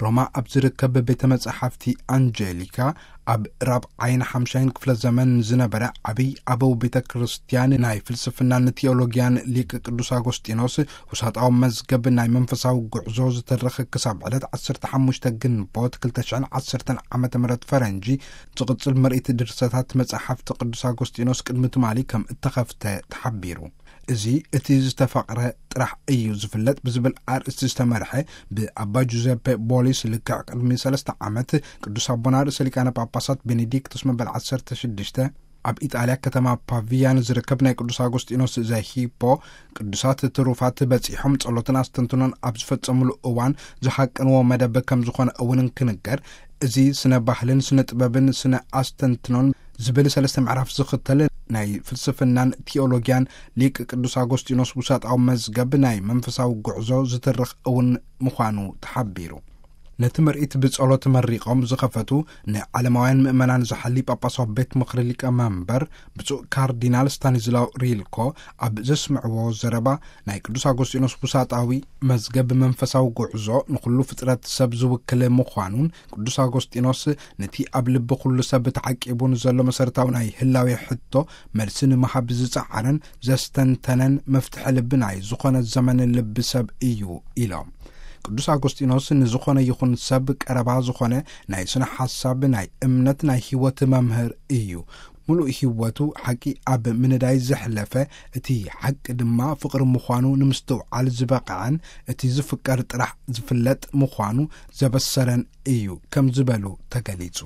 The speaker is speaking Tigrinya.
ሮማ ኣብ ዝርከብ ቤተ መጻሕፍቲ ኣንጀሊካ፣ ኣብ ራብዓይን ሓምሻይን ክፍለ ዘመን ዝነበረ ዓብይ ኣበው ቤተ ክርስቲያን፣ ናይ ፍልስፍናን ቴዎሎጊያን ሊቅ ቅዱስ ኣጎስጢኖስ ውሳጣዊ መዝገብ ናይ መንፈሳዊ ጉዕዞ ዝተረኸ ክሳብ ዕለት ዓሰርተ ሓሙሽተ ግንቦት ክልተ ሽሕን ዓሰርተን ዓመተ ምህረት ፈረንጂ ዝቕጽል ምርኢት ድርሰታት መጻሕፍቲ ቅዱስ ኣጎስጢኖስ ቅድሚ ትማሊ ከም እተኸፍተ ተሓቢሩ። እዚ እቲ ዝተፈቕረ ጥራሕ እዩ ዝፍለጥ ብዝብል ኣርእስቲ ዝተመርሐ፣ ብኣባ ጁዘፔ ቦሊስ፣ ልክዕ ቅድሚ ሰለስተ ዓመት ቅዱስ ኣቦና ርእሰ ሊቃነ ጳጳሳት ቤኔዲክቶስ መበል ዓሰርተ ሽዱሽተ ኣብ ኢጣልያ ከተማ ፓቪያ ንዝርከብ ናይ ቅዱስ ኣጎስጢኖስ ዘሂፖ ቅዱሳት ትሩፋት በጺሖም ጸሎትን ኣስተንትኖን ኣብ ዝፈጸሙሉ እዋን ዝሃቀንዎ መደብ ከም ዝኾነ እውን እንክንገር፣ እዚ ስነ ባህልን ስነ ጥበብን ስነ ኣስተንትኖን ዝብል ሰለስተ ምዕራፍ ዝኽተል ናይ ፍልስፍናን ቴዎሎጊያን ሊቅ ቅዱስ ኣጎስጢኖስ ውሳጣዊ መዝገብ ናይ መንፈሳዊ ጉዕዞ ዝትርኽ እውን ምዃኑ ተሓቢሩ። ነቲ ምርኢት ብጸሎት መሪቖም ዝኸፈቱ ንዓለማውያን ምእመናን ዝሓሊ ጳጳሳዊ ቤት ምኽሪ ሊቀ መንበር ብፁዕ ካርዲናል ስታኒዝላው ሪልኮ ኣብ ዘስምዕዎ ዘረባ፣ ናይ ቅዱስ ኣጎስጢኖስ ውሳጣዊ መዝገብ መንፈሳዊ ጉዕዞ ንኹሉ ፍጥረት ሰብ ዝውክል ምዃኑን፣ ቅዱስ ኣጎስጢኖስ ነቲ ኣብ ልቢ ኩሉ ሰብ ተዓቂቡ ንዘሎ መሰረታዊ ናይ ህላዌ ሕቶ መልሲ ንምሃብ ዝጸዓረን ዘስተንተነን መፍትሒ ልቢ ናይ ዝኾነ ዘመን ልቢ ሰብ እዩ ኢሎም። ቅዱስ ኣጎስጢኖስ ንዝኾነ ይኹን ሰብ ቀረባ ዝኾነ ናይ ስነ ሓሳብ፣ ናይ እምነት፣ ናይ ህይወት መምህር እዩ። ምሉእ ህይወቱ ሓቂ ኣብ ምንዳይ ዘሕለፈ፣ እቲ ሓቂ ድማ ፍቕሪ ምዃኑ ንምስትውዓል ዝበቕዐን እቲ ዝፍቀር ጥራሕ ዝፍለጥ ምዃኑ ዘበሰረን እዩ ከም ዝበሉ ተገሊጹ።